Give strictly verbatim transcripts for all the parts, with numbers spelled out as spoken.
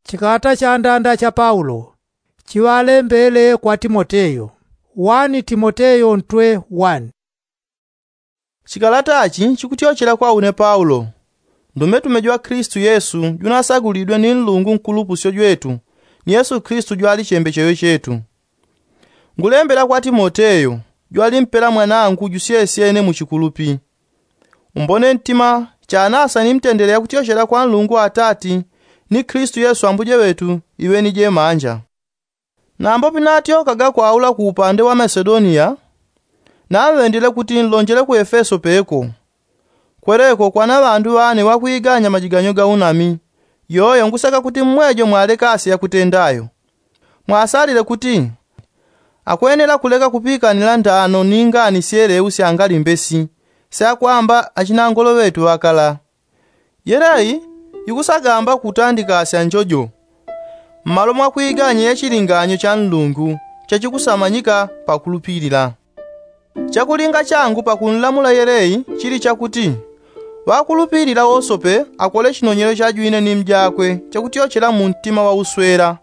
Chikalata cha ndanda cha paulo chiŵalembele kwa timoteyo. Wani timoteyo ntwe wani. Chikalata chi chikutyochela kwa une paulo, ndumetume jwa klistu yesu junasagulidwe ni nlungu nkulupusyo jwetu, ni yesu klistu jwali chembecheyo chetu. Ngulembela kwa timoteyo, jwali mpela mwanangu jusyesyene mu chikulupi. Umbone ntima chanasa ni mtendele yakutyochela kwa nlungu atati, ni klistu yesu ambuje ŵetu iŵeni jemanja. Nambo pinatyokaga kwaula ku upande wa masedoniya, naŵendile kuti nlonjele ku efeso peko. Kweleko kwana ŵandu ŵane ŵakwiganya majiganyo ga unami. Yoyo ngusaka kuti mmwejo mwalekasye yakutendayo. Mwasalile kuti akwenela kuleka kupikanila ndano ni ngani syeleu sya ngalimbesi, syakwamba achinangolo ŵetu ŵakala. Yelei ikusagamba kutandikasya njojo mmalo mwakwiganya yachilinganyo cha nlungu chachikusamanyika pakulupilila. Chakulinga changu pakunlamula yelei chili chakuti, ŵakulupilila wosope akole chinonyelo chajwine ni mjakwe chakutyochela mu ntima wa uswela,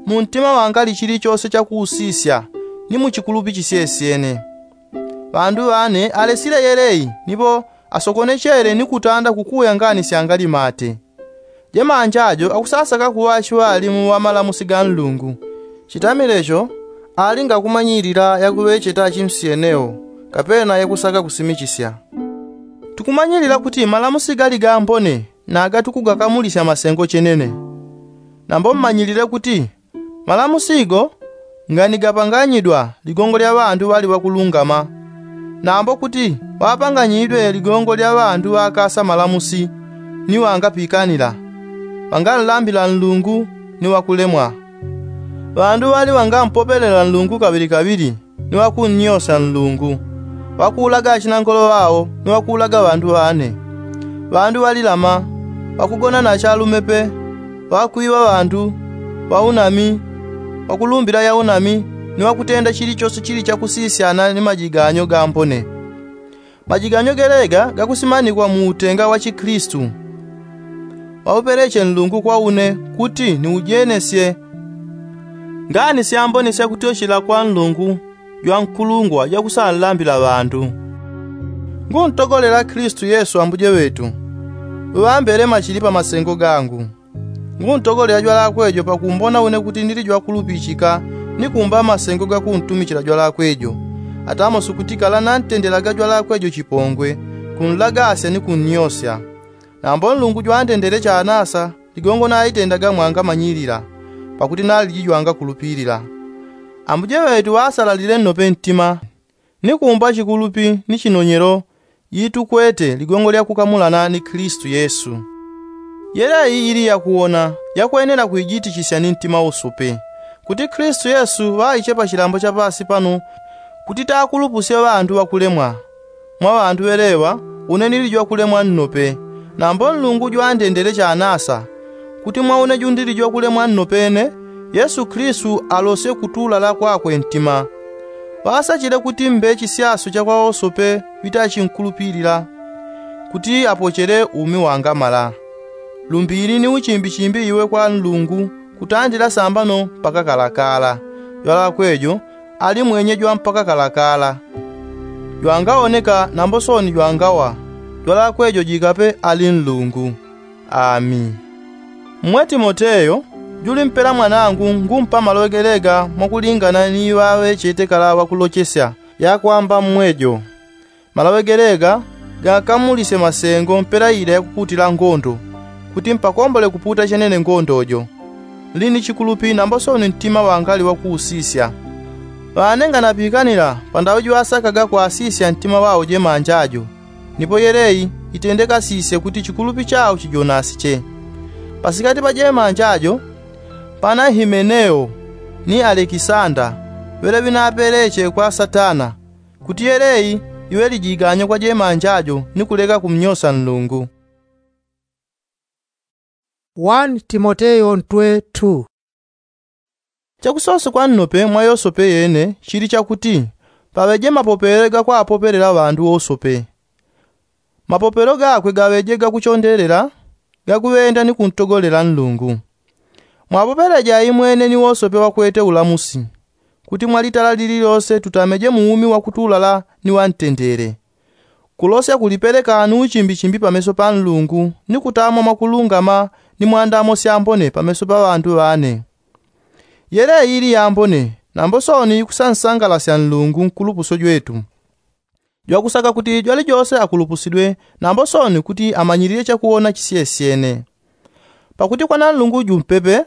mu ntima wangali chilichose chakuusisya, ni mu chikulupi chisyesyene. Ŵandu ŵane alesile yelei nipo asokonechele ni kutanda kukuya ngani syangali mate. Jemanja jo akusasaka kuŵa achiŵalimu ŵa malamusi ga nlungu. Chitamile cho ali ngakumanyilila yakuŵecheta achimsyenewo, kapena yakusaka kusimichisya. Tukumanyilila kuti malamusi gali gambone naga tukugakamulisya masengo chenene. Nambo mmanyilile kuti malamusi go nganigapanganyidwa ligongo lya ŵandu ŵali ŵakulungama, nambo kuti ŵapanganyidwe ligongo lya ŵandu ŵakasa malamusi, ni ŵangapikanila, ŵanganlambila nlungu, ni ŵakulemwa. Ŵandu ŵali ŵangampopelela nlungu kaŵilikaŵili, ni ŵakunnyosya nlungu, ŵakuulaga achinangolo ŵao ni ŵakuulaga ŵandu ŵane, ŵandu ŵalilama, ŵakugona na achalume pe, ŵakwiŵa ŵandu, ŵaunami, ŵakulumbila yaunami, ni ŵakutenda chilichose chili chakusisyana ni majiganyo gambone. Majiganyo gelega gakusimanikwa mu utenga wa chiklistu. Ŵaupeleche nlungu kwa une kuti niujenesye ngani syambone syakutyochela kwa nlungu jwankulungwa jakusanlambila ŵandu. Nguntogolela klistu yesu ambuje ŵetu, uŵambele machili pa masengo gangu. Nguntogolela jwalakwe jo pakumbona une kuti ndili jwakulupichika, ni kumba masengo gakuntumichila jwalakwe jo. Atamo sukutikala nantendelaga jwalakwe jo chipongwe, kunlagasya ni kunnyosya. Nambo nlungu jwandendele chanasa ligongo naitendaga mwangamanyilila, pakuti naliji jwangakulupilila. Ambuje ŵetu ŵasalalile nnope ntima, ni kumba chikulupi ni chinonyelo, itukwete ligongo lya kukamulana ni klistu yesu. Yelei ili yakuwona yakwenela kuijitichisya ni ntima usupe, kuti klistu yesu ŵaiche pa chilambo cha pasi pano, kuti takulupusye ŵandu ŵakulemwa. Mwa ŵandu ŵeleŵa, une nili jwakulemwa nnope. Nambo nlungu jwandendele chanasa, kuti mwa une jundili jwakulemwa nnopene, yesu klistu alosye kutulala kwakwe ntima. Ŵasachile kuti mbe chisyaso cha kwa wosope ŵitachinkulupilila, kuti apochele umi wangamala. Lumbili ni uchimbichimbi iwe kwa nlungu, kutandila sambano mpaka kalakala. Jwalakwe jo ali mwenye jwa mpaka kalakala. Jwangawoneka nambo sooni jwangawa. Jwalakwe jo jikape ali nlungu. Ami. Mmwe timoteyo, juli mpela mwanangu ngumpa maloŵe gelega mwakulingana ni iŵaŵe chetekala ŵakulochesya, yakwamba mmwe jo. Maloŵe gelega gakamulisye masengo mpela ila yakukutila ngondo, kuti mpakombole kuputa chenene ngondo jo. Nli ni chikulupi nambo sooni ntima wangali wakuusisya. Ŵane nganapikanila pandaŵe jiŵasakaga kwasisya ntima ŵao jemanja jo. Nipo yelei itendekasisye kuti chikulupi chao chijonasiche. Pasikati pa jemanja jo pana himeneo ni alekisanda, ŵele ŵinapeleche kwa satana, kuti yelei iŵe lijiganyo kwa jemanja jo ni kuleka kumnyosa nlungu. One timoteyo ntwe two. Chakusosokwa nnope mwa yosope yene chili chakuti, paŵeje mapopele gakwapopelela ŵandu wosope. Mapopelo gakwe gaŵeje gakuchondelela, gakuŵenda ni kuntogolela nlungu. Mwapopeleje aimwene ni wosope wakwete ulamusi, kuti mwalitala lililose tutameje mu umi wakutulala ni wantendele, kulosya kulipeleka ni uchimbichimbi pameso pa nlungu ni kutamwa mwakulungama ni mwandamo syambone pameso pa ŵandu ŵane. Yele iyi ili yambone nambo sooni ikusansangalasya nlungu nkulupuso jwetu, jwakusaka kuti jwalijose akulupusidwe nambo sooni kuti amanyilile chakuwona chisyesyene. Pakuti kwa nanlungu jumpepe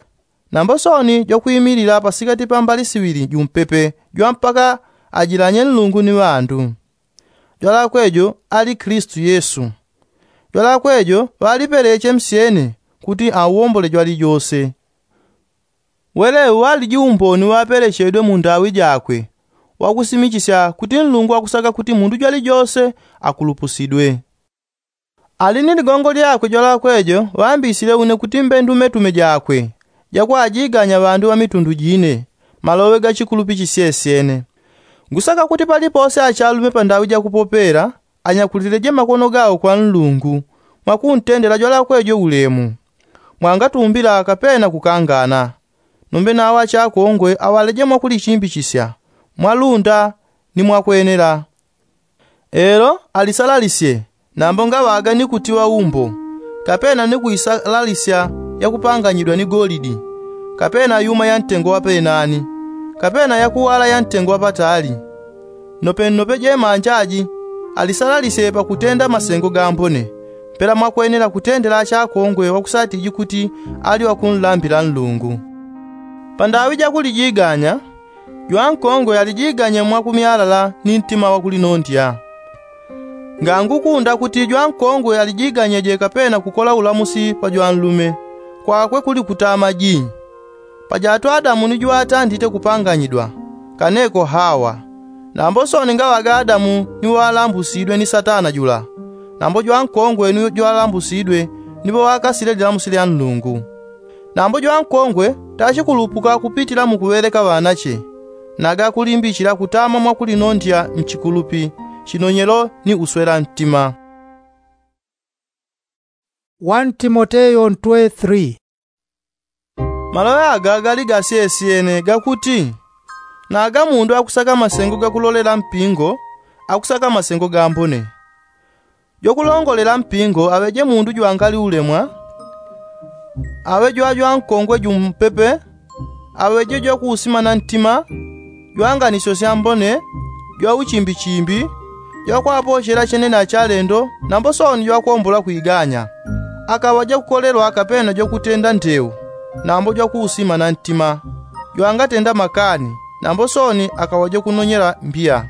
nambo sooni jwakwimilila pasikati pa mbali siŵili jumpepe jwa mpaka ajilanye nlungu ni ŵandu. Jwalakwe jo ali kilisitu yesu. Jwalakwe jo ŵalipeleche msyene kuti auwombole jwalijose. Weleŵe ŵaliji umboni ŵapelechedwe mu ndaŵi jakwe wakusimichisya kuti nlungu akusaka kuti mundu jwalijose akulupusidwe. Ali ni ligongo lyakwe jwalakwe jo ŵambisile une kuti mbe ndumetume jakwe jakwajiganya ŵandu ŵa mitundu jine, maloŵe ga chikulupi chisyesyene. Ngusaka kuti palipose achalume pa ndaŵi jakupopela anyakulileje makono gawo kwa nlungu mwakuntendela jwalakwe jo ulemu, mwangatumbila kapena kukangana. Nombe nawo achakongwe aŵaleje mwakulichimbichisya mwalunda ni mwakwenela. Elo alisalalisye nambo ngaŵaga ni kutiŵa umbo, kapena ni kuisalalisya yakupanganyidwa ni golidi, kapena yuma ya ntengo wapenani, kapena yakuwala ya ntengo wapatali. Nopennope jemanja aji alisalalisye pakutenda masengo gambone, mpela mwakwenela kutendela achakongwe wakusatiji kuti ali ŵakunlambila nlungu. Pa ndaŵi jakulijiganya jwankongwe alijiganye mwakumyalala ni ntima wakulinondya. Ngangukunda kuti jwankongwe alijiganyeje kapena kukola ulamusi pa jwanlume, kwakwe kuli kutama ji. Pajato adamu ni jwatandite kupanganyidwa, kaneko hawa. Nambo sooni ngaŵaga adamu ni ŵalambusidwe ni satana jula, nambo jwankongwe ni jwalambusidwe ni ŵawakasile lilamusi lya nlungu. Nambo jwankongwe tachikulupuka kupitila mukuŵeleka ŵanache, naga kulimbichila kutama mwakulinondya nchikulupi, chinonyelo ni uswela ntima. One timoteyo ntwe three. Maloŵe aga gali gasyesyene gakuti, naga mundu akusaka masengo gakulolela mpingo akusaka masengo gambone. Jwakulongolela mpingo aŵeje mundu jwangali ulemwa, aŵe jwajwankongwe jumpepe, aŵeje jwakuusimana ntima, jwanganisyo syambone, jwauchimbichimbi, jwakwapochela chenene achalendo nambo sooni jwakwombola kwiganya. Akaŵa jwakukolelwa kapena jwakutenda ndeu, nambo jwakuusimana ntima, jwangatenda makani, nambo sooni akaŵa jwakunonyela mbiya.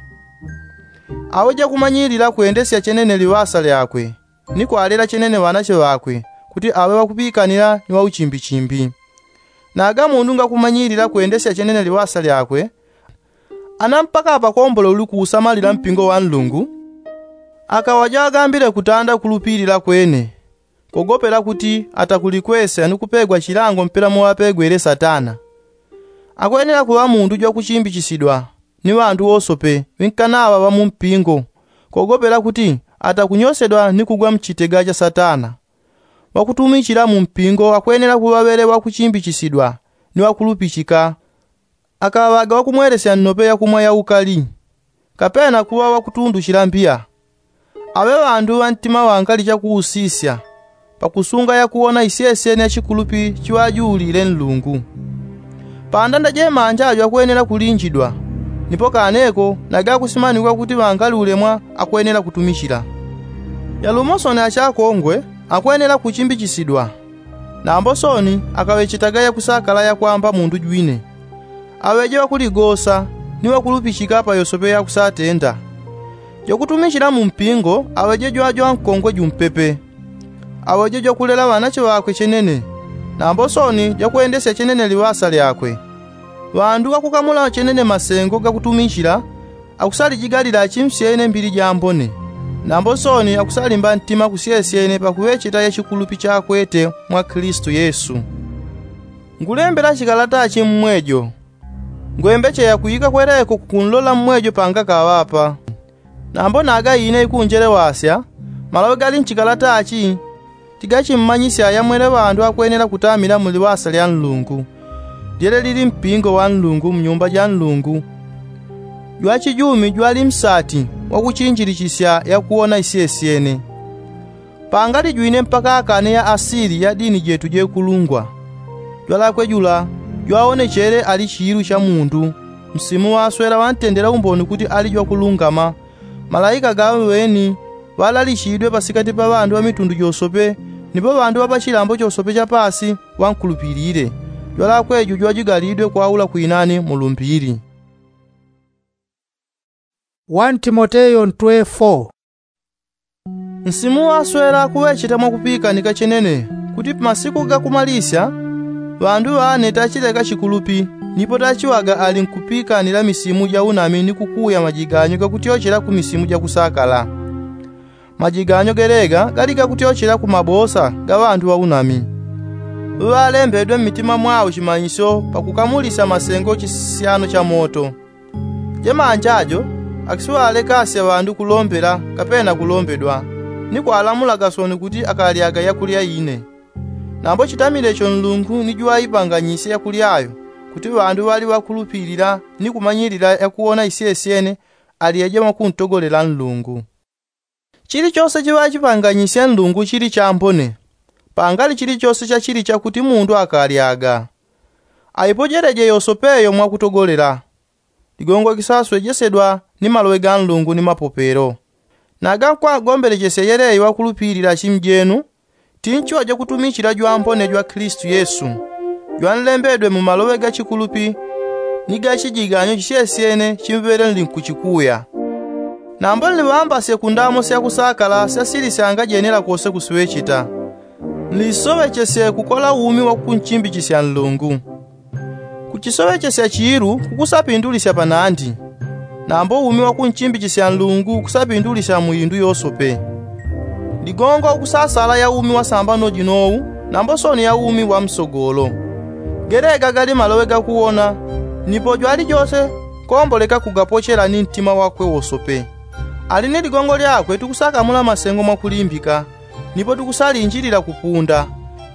Aŵe jwakumanyilila kwendesya chenene liŵasa lyakwe, ni kwalela chenene ŵanache ŵakwe, kuti aŵe ŵakupikanila ni ŵauchimbichimbi. Naga mundu ngakumanyilila kwendesya chenene liŵasa lyakwe, ana mpaka apakombole uli kuusamalila mpingo wa nlungu, akaŵa jwagambile kutanda kulupilila kwene, kogopela kuti atakulikwesya ni kupegwa chilango mpela muŵapegwele satana. Akwenela kuŵa mundu jwakuchimbichisidwa ni ŵandu wosope ŵinkanaŵa ŵa mumpingo, kogopela kuti atakunyosedwa ni kugwa mchitega cha satana. Ŵakutumichila mumpingo akwenela kuŵa ŵele ŵakuchimbichisidwa ni ŵakulupichika. Akaŵaga ŵakumwelesya nnope yakumwa ya ukali, kapena kuŵa ŵakutunduchila mbiya. Aŵe ŵandu ŵa ntima ŵangali chakuusisya pakusunga yakuwona isyesyene ya chikulupi chiŵajuulile nlungu. Pandanda jemanja jwakwenela kulinjidwa, nipo kaneko nagakusimanigwa kuti ŵangali ulemwa akwenela kutumichila. Yalumo sooni achakongwe akwenela kuchimbichisidwa, nambo sooni akaŵechetaga yakusakala yakwamba mundu jwine. Aŵeje ŵakuligosa ni ŵakulupichika pa yosope yakusatenda. Jwakutumichila mumpingo aŵeje jwajwankongwe jumpepe, aŵeje jwakulela ŵanache ŵakwe chenene, nambo sooni jwakwendesya chenene liŵasa lyakwe. Ŵandu ŵakukamula chenene masengo gakutumichila akusalijigalila chimsyene mbili jambone, nambo sooni akusalimba ntima kusyesyene pakuŵecheta ya chikulupi chakwete mwa kilisitu yesu. Ngulembela chikalata chi mmwejo. Ngwembeche yakwika kweleko kukunlola mmwejo panga kaŵapa. Nambo naga ine ikunjelewasya, maloŵe gali nchikalata chi Tigachimmanyisya yamwele ŵandu akwenela kutamila mu liŵasa lya nlungu, lyele lili mpingo wa nlungu mu nyumba ja nlungu. Jwachijumi jwali msati wakuchinjilichisya yakuwona isyesyene. Pangalijwine mpaka akane ya asili ya dini jetu jekulungwa. Jwalakwe jula jwawonechele ali chiilu cha mundu, msimu waswela wantendela umboni kuti ali jwakulungama. Malaika gaŵeni ŵalalichidwe pasikati pa ŵandu ŵa mitundu josope, nipo ŵandu ŵa pachilambo chosope cha paasi ŵankulupilile. Jwalakwe jujwa jigalidwe kwaula kwinani mu lumbili. One timoteyo ntwe four. Nsimu waswela kuŵecheta mwakupikanika chenene, kuti pamasiku gakumalisya ŵandu ŵane tachileka chikulupi, nipo tachiŵaga ali nkupikanila misimu ja unami ni kukuya majiganyo gakutyochela ku misimu jakusakala. Majiganyo gelega gali gakutyochela ku mabosa ga ŵandu ŵa unami, ŵalembedwe mmitima mwao chimanyisyo pakukamulisya masengo chisyano cha moto. Jemanja jo akisiŵalekasya ŵandu kulombela kapena kulombedwa, ni kwalamulaga soni kuti akalyaga yakulya ine. Nambo chitamile cho nlungu ni jwaipanganyisye yakulya yo, kuti ŵandu ŵali ŵakulupilila ni kumanyilila yakuwona isyesyene alyeje mwakuntogolela nlungu. Chilichose chiŵachipanganyisye nlungu chili chambone, pangali chilichose chachili chakuti mundu akalyaga. Aipojeleje yosope yo mwakutogolela. Ligongo kisaswejesedwa ni maloŵe ga nlungu ni mapopelo. Naga nkwagombelechesya yeleyi ŵakulupilila achimu jenu, tinchiŵa jakutumichila jwambone jwa kilisitu yesu, jwanlembedwe mu maloŵe ga chikulupi ni ga chijiganyo chisyesyene chimŵele nlinkuchikuya. Nambo nliŵambasye ku ndamo syakusakala syasilisyanga jenela kose kusiŵecheta, nlisoŵechesye kukola umi wakunchimbichisya nlungu. Kuchisoŵechesya chiilu kukusapindulisya panandi, nambo umi wakunchimbichisya nlungu kusapindulisya mu indu yosope. Ligongo ukusasala ya umi wasambano jinowu, nambo soni ya umi wa msogolo. Gelega gali maloŵe gakuwona, nipo jwalijose komboleka kugapochela ni ntima wakwe wosope. Ali ni ligongo lyakwe tukusakamula masengo mwakulimbika, nipo tukusalinjilila kupunda,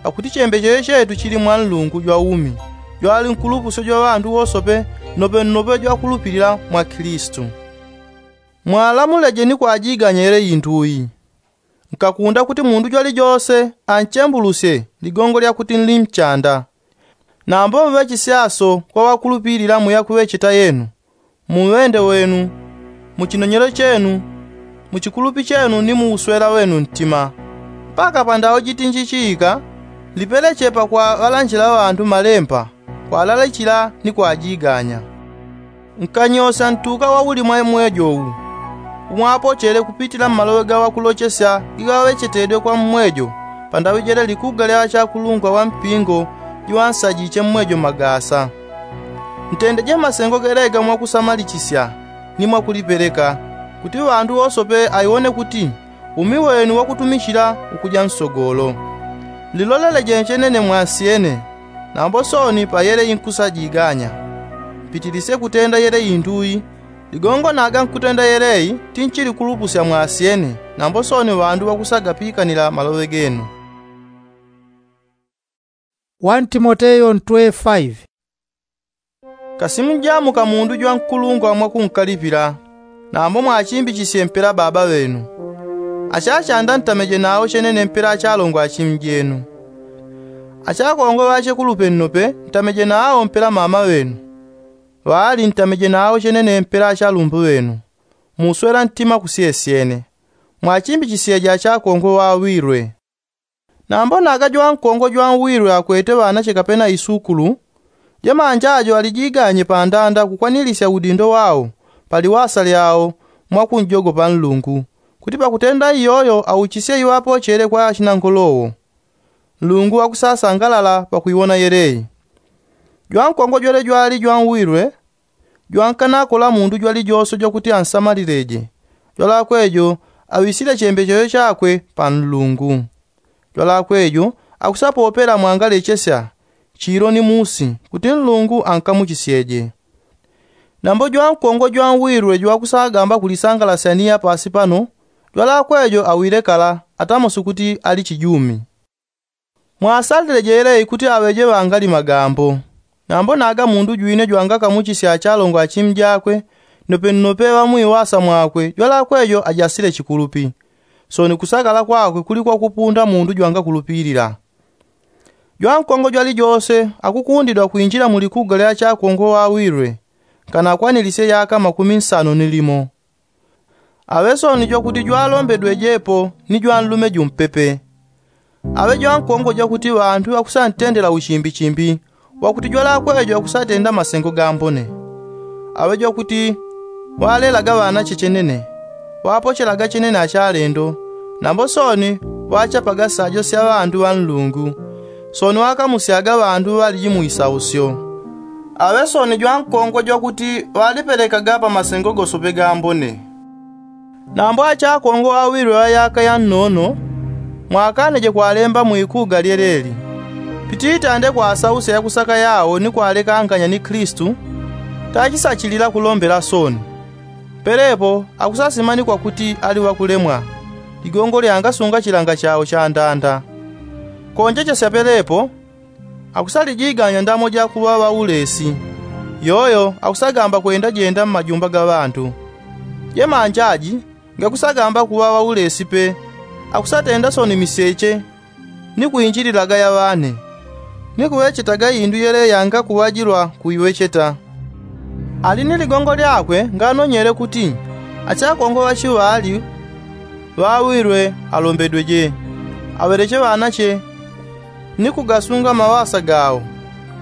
pakuti chembecheyo chetu chili mwa nlungu jwa umi, jwali nkulupusyo jwa ŵandu wosope, nopenope jwakulupilila mwa kilisitu. Mwalamuleje ni kwajiganya yele indu iyi. Nkakunda kuti mundu jwalijose anchembulusye ligongo lyakuti nli mchanda. Nambo muŵechisyaso kwa ŵakulupilila mu yakuŵecheta yenu, mu ŵende wenu, mu chinonyelo chenu, mu chikulupi chenu ni mu uswela wenu ntima. Mpaka pandawo jitinji chiika, lipelechepa kwa ŵalanjila ŵandu malemba, kwalalichila ni kwajiganya. Nkanyosya ntuka wauli mwa mwejo uwu, umwapochele kupitila mmaloŵe ga ŵakulochesya igaŵechetedwe kwa mmwejo, pandaŵi jele likuga lya ŵachakulungwa ŵa mpingo jiŵansajiche mmwejo magasa. Ntendeje masengo gelega mwakusamalichisya ni mwakulipeleka, kuti ŵandu wosope aiwone kuti umi wenu wakutumichila ukuja nsogolo. Liloleleje chenene mwasyene, nambo soni pa yele inkusajiganya. Mpitilisye kutenda yele indu iyi. Ligongo naga nkutenda yele iyi tinchili kulupusya mwasyene, nambo soni ŵandu ŵakusagapikanila maloŵe genu. One timoteyo ntwe five. Kasimujamuka mundu jwankulungwa mwakunkalipila, nambo mwachimbichisye mpela baba ŵenu. Achachanda ntameje nawo chenene mpela achalongwa achimu jenu. Achakongwe ŵachekulupe nnope ntameje nawo mpela mama ŵenu. Ŵaali ntameje nawo chenene mpela achalumbu ŵenu, mu uswela ntima kusyesyene. Mwachimbichisyeje achakongwe ŵawilwe. Nambo naga jwankongwe jwanwilwe akwete ŵanache kapena isukulu, jemanja jo alijiganye pandanda kukwanilisya udindo wao pa liŵasa lyao mwakunjogopa nlungu, kuti pakutenda iyoyo auchisye iŵapochele kwa achinangolowo. Nlungu akusasangalala pakwiwona yele iyi. Jwankongwe jwele jwali jwanwilwe, jwankanakola mundu jwalijose jwakuti ansamalileje, jwalakwe jo aŵisile chembecheyo chakwe pa nlungu. Jwalakwe jo akusapopela mwangalechesya chilo ni musi kuti nlungu ankamuchisyeje. Nambo jwankongwe jwanwilwe jwakusagamba kulisangalasya ni ya paasi pano, jwalakwe jo awile kala atamosi kuti ali chijumi. Mwasalile jeleyi kuti aŵeje ŵangali magambo. Nambo naga mundu jwine jwangakamuchisya achalongo achimu jakwe, nope nope ŵamwiwasa mwakwe jwalakwejo ajasile chikulupi. Soni kusakala kwakwe kuli kwakupunda mundu jwangakulupilila. Jwankongo jwalijose akukundidwa kwinjila mulikuga lya chakongo wawilwe, kana akwanilisye yaka makumi nsano ni limo. Aŵe soni jwakuti jwalombedwejepo ni jwanlume jumpepe. Aŵe jwankongo jwakuti ŵantu ŵakusantendela uchimbichimbi, wakuti jwalakwejo akusatenda masengo gambone. Aŵe jwakuti ŵalelaga ŵanache chenene, ŵapochelaga chenene achalendo, nambo soni ŵachapaga sajo sya ŵandu ŵa nlungu. Soni ŵakamusyaga ŵandu ŵaliji mu isausyo. Aŵe soni jwankongo jwakuti ŵalipelekaga pa masengo gosope gambone. Nambo achakongo awilwe ŵa yaka yannono, mwakaneje kwalemba mwikuga lyeleli. Pititande kwasausa yakusaka yao ni kwalekanganya ni kilisito, tachisachilila kulombela soni. Pelepo akusasimanikwa kuti ali ŵakulemwa, ligongo lyangasunga chilanga chao chandanda. Konjechesya pelepo akusalijiganya ndamo jakuŵa ŵaulesi. Yoyo akusagamba kwendajenda mmajumba ga ŵantu. Jemanjaji ngakusagamba kuŵa ŵaulesi pe, akusatenda soni miseche ni kwinjililaga yaŵane, ni kuŵechetaga indu yele yangakuŵajilwa kuiŵecheta. Ali ni ligongo lyakwe nganonyele kuti achakongo ŵachiŵali ŵawilwe alombedweje, aŵeleche ŵanache ni kugasunga mawasa gao,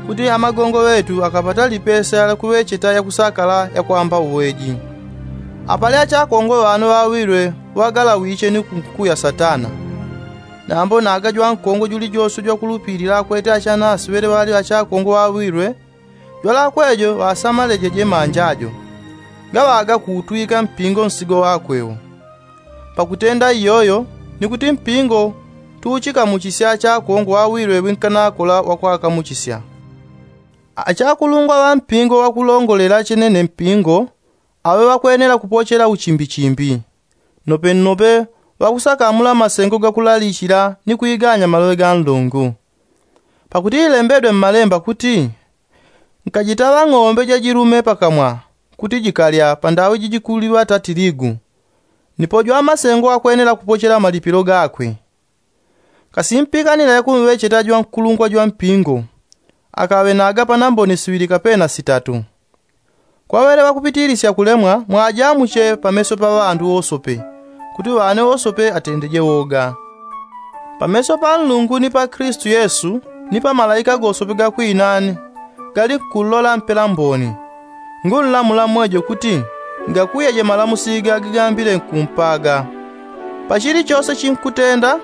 kuti amagongo ŵetu akapata lipesa lya kuŵecheta yakusakala yakwamba uweji. Apali achakongo ŵano ŵawilwe ŵagalawiche ni kunkuya satana. Nambo naga jwankongo julijose jwakulupilila akwete achanasi ŵele ŵali achakongo ŵawilwe, jwalakwejo ŵasamaleje jemanjajo, ngaŵaga kuutwika mpingo nsigo wakwewo. Pakutenda iyoyo ni kuti mpingo tuuchikamuchisya achakongo ŵawilwe ŵinkanakola ŵakwakamuchisya. Achakulungwa ŵa mpingo ŵakulongolela chenene mpingo, aŵe ŵakwenela kupochela uchimbichimbi. Nope nope ŵakusakamula masengo gakulalichila ni kwiganya maloŵe ga nlungu. Pakuti ilembedwe mmalemba kuti, nkajitaŵa ng'ombe jajilume pakamwa, kuti jikalya pandaŵi jijikuliŵata tiligu. Nipo jwamasengo akwenela kupochela malipilo gakwe. Kasi mpikanila yakumŵecheta jwankulungwa jwampingo, akaŵe naga panambone siŵili kapena sitatu. Kwaŵele ŵakupitilisya kulemwa mwajamuche pameso pa ŵandu wosope, kuti ŵane wosope atendeje woga. Pameso pa nlungu ni pa kilisito yesu, ni pa malaika gosope gakwinani, gali nkullola mpela mboni. Ngunlamula mwejo kuti, ngakuyeje malamusi ga gigambile nkumpaga. Pachili chose chinkutenda,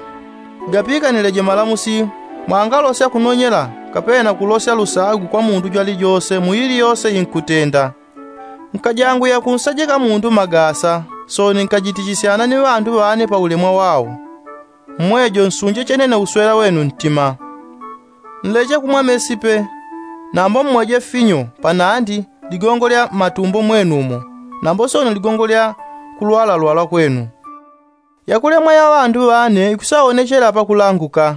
gapikanileje malamusi, mwangalosya kunonyela kapena kulosya lusagu kwa mundu jwalijose mu iliyose inkutenda. Nkajangwiya kunsajika mundu magasa, soni nkajitichisyana ni ŵandu ŵane pa ulemwa wao. Mmwejo nsunje chenene uswela wenu ntima. Nleche kumwa mesi pe, nambo mmweje finyo panandi ligongo lya mmatumbo mwenumo, nambo soni ligongo lya kulwalalwala kwenu. Yakulemwa ya ŵandu ŵane ikusaonechela pakulanguka,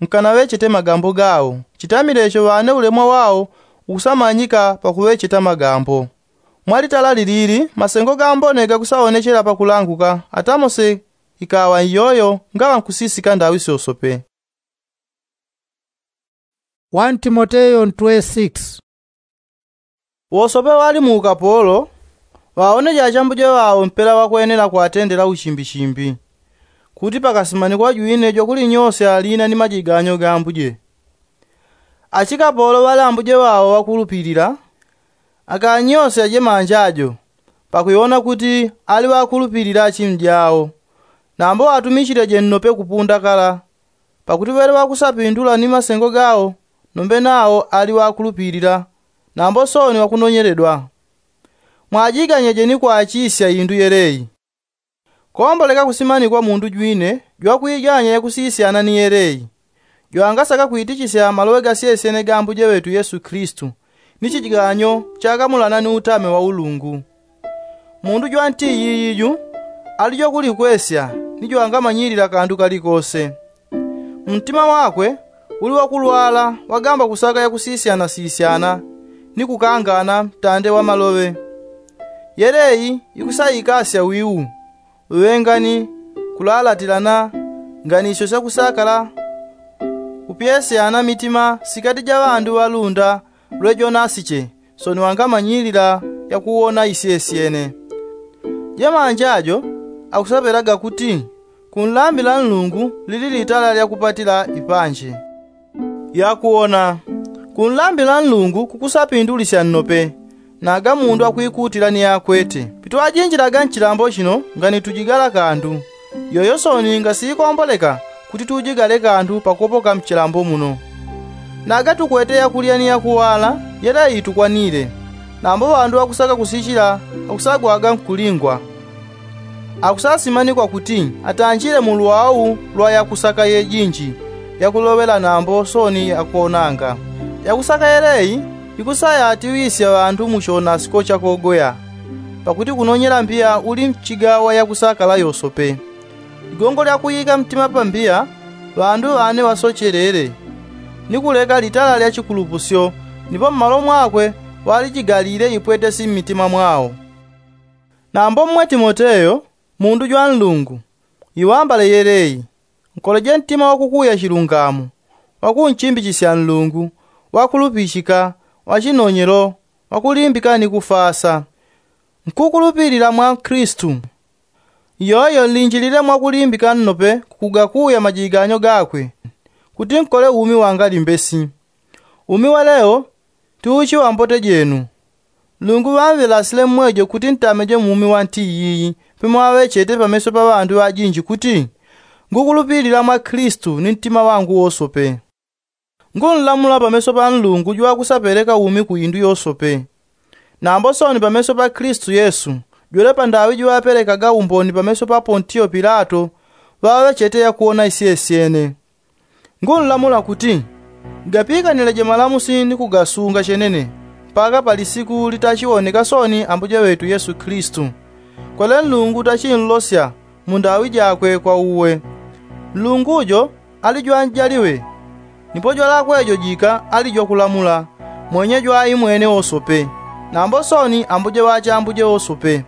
nkanaŵechete magambo gao, chitamilecho ŵane ulemwa wao ukusamanyika pakuŵecheta magambo. Mwalitala lilili masengo gambone gakusaonechela pakulanguka, atamose ikaŵa iyoyo ngaŵa nkusisika ndaŵi syosope. One Timoteyo ntwe six. Wosope ŵali mu ukapolo ŵaoneje achambuje ŵao mpela ŵakwenela kwatendela uchimbichimbi, kuti pakasimanikwa jwine jwakulinyosya lina ni majiganyo ga ambuje. Achikapolo ŵali ambuje ŵao ŵakulupilila, akanyosya jemanjajo, pakuiwona kuti ali ŵakulupilila achimu jao, nambo ŵatumichileje nnope kupunda kala. Pakuti ŵele ŵakusapindula ni masengo gao, nombe nao ali ŵakulupilila, nambo soni ŵakunonyeledwa. Mwajiganyeje ni kwachisya indu yeleyi. Komboleka kusimanikwa mundu jwine jwakwiganya yakusisyana ni yeleyi, jwangasaka kwitichisya maloŵe gasyesyene ga ambuje ŵetu yesu kilisito, ni chijiganyo chakamulana ni utame wa ulungu. Mundu jwanti iyiyiju ali jwakulikwesya, ni jwangamanyilila kandu kalikose. Mtima wakwe Uli wakulwala wagamba kusaka yakusisyanasisyanana ni kukangana mtande wa maloŵe. Yeleyi ikusaikasya wiu, uŵengani, kulalatilana, nganisyo syakusakala, kupyesyana mitima sikati ja ŵandu ŵalunda lwe jonasiche, soni wangamanyilila yakuwona isyesyene. Jemanja jo akusaŵelaga kuti kunlambila nlungu lili litala lyakupatila ipanje. Yakuwona kunlambila nlungu kukusapindulisya nnope. Naga mundu akwikutila ni akwete pitwajinjilaga nchilambo chino ngani tujigala kandu, yoyo soni ngasiikomboleka kuti tujigale kandu pakopoka mchilambo muno. Naga tukwete yakulya ni yakuwala yeleyi tukwanile. Nambo ŵandu ŵakusaka kusichila akusagwaga nkulingwa. Akusasimanikwa kuti atanjile mu lwau lwa yakusaka yejinji yakuloŵela nambo soni yakonanga. Yakusaka yeleyi ikusayatiŵisya ŵandu mu chonasiko chakogoya. Pakuti kunonyela mbiya uli mchigawa yakusakala yosope. Ligongo lyakuyika mtima pambiya ŵandu ŵane ŵasochelele ni kuleka litala lya chikulupusyo. Nipo mmalo mwakwe ŵalijigalile ipwetesi mmitima mwao. Nambo mmwe timoteyo, mundu jwa nlungu, iŵambale yeleyi. Nkoleje ntima wakukuya chilungamo, wakunchimbichisya nlungu, wakulupichika, wachinonyelo, wakulimbika ni kufasa. Nkukulupilila mwa nkristu. Iyoyo nlinjilile mwakulimbika nnope kukugakuya majiganyo gakwe, kuti nkole umi wangalimbesi. Umi wa leo tiuchi wa mbote jenu. Nlungu ŵamvelasile mmwejo kuti ntameje mu umi wa nti iyiyi. Pemwaŵechete pameso pa ŵandu ŵajinji kuti ngukulupilila mwa kristu ni ntima wangu wosope. Ngunlamula pameso pa nlungu jwakusapeleka umi ku indu yosope. Nambo soni pameso pa kristu yesu, jwele pandaŵi jiŵapelekaga umboni pameso pa pontiyo pilato, ŵaŵechete yakuwona isyesyene. Ngunlamula kuti gapikanileje malamusi ni kugasunga chenene, mpaka pa lisiku litachiwoneka soni ambuje ŵetu yesu kristu. Kwele nlungu tachinlosya mu ndaŵi jakwe kwa uwe. Nlungu jo ali jwanjaliŵe. Nipo jwalakwe jo jika ali jwakulamula, mwenye jwaimwene wosope, nambo soni ambuje ŵachambuje wosope.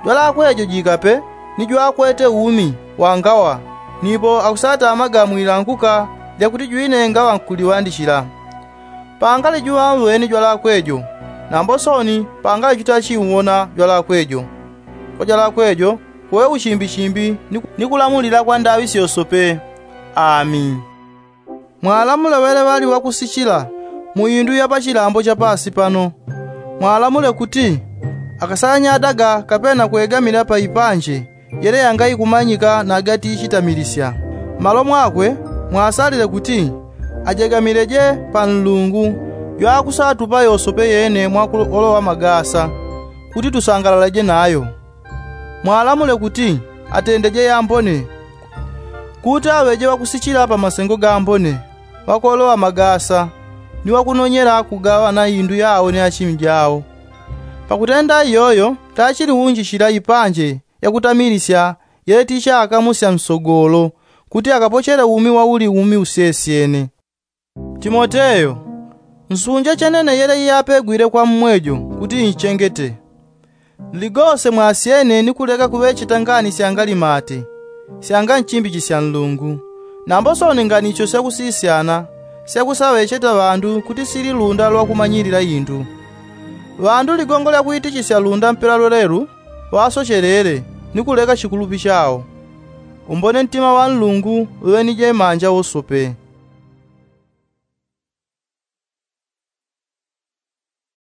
Jwalakwe jo jika pe ni jwakwete umi wangawa. Nipo akusatamaga mwilanguka lyakuti jwine ngaŵa nkuliŵandichila. Pangali juŵamweni jwalakwe jo, nambo soni pangali jutachiuwona jwalakwe jo. Kwa jwalakwe jo kuŵe uchimbichimbi ni kulamulila kwa ndaŵi syosope. Ami. Mwalamule ŵele ŵali ŵakusichila mu indu ya pachilambo cha pasi pano. Mwalamule kuti akasanyadaga kapena kwegamila pa ipanje yele yangaikumanyika nagati ichitamilisya. Mmalo mwakwe mwasalile kuti ajegamileje pa nlungu jwakusatupa yosope yene mwakuoloŵa magasa, kuti tusangalaleje nayo. Mwalamule kuti atendeje yambone, kuti aŵeje ŵakusichila pa masengo gambone, ŵakuoloŵa magasa, ni ŵakunonyela kugaŵana indu yawo ni achimi jawo. Pakutenda iyoyo tachiliunjichila ipanje yakutamilisya yele tichakamusya nsogolo, kuti akapochele umi wauli umi usyesyene. Timoteyo, nsunje chenene yele iyapegwile kwa mmwejo kuti inchengete. Nligose mwasyene ni kuleka kuŵecheta ngani syangalimate, syanganchimbichisya nlungu, nambo soni nganicho syakusisyana syakusaŵecheta ŵandu kuti sililunda lwakumanyilila indu. Ŵandu ligongo lyakuitichisya lunda mpela lwelelu ŵasochelele ni kuleka chikulupi chao. Umbone ntima wa nlungu uŵe ni jemanja wosope.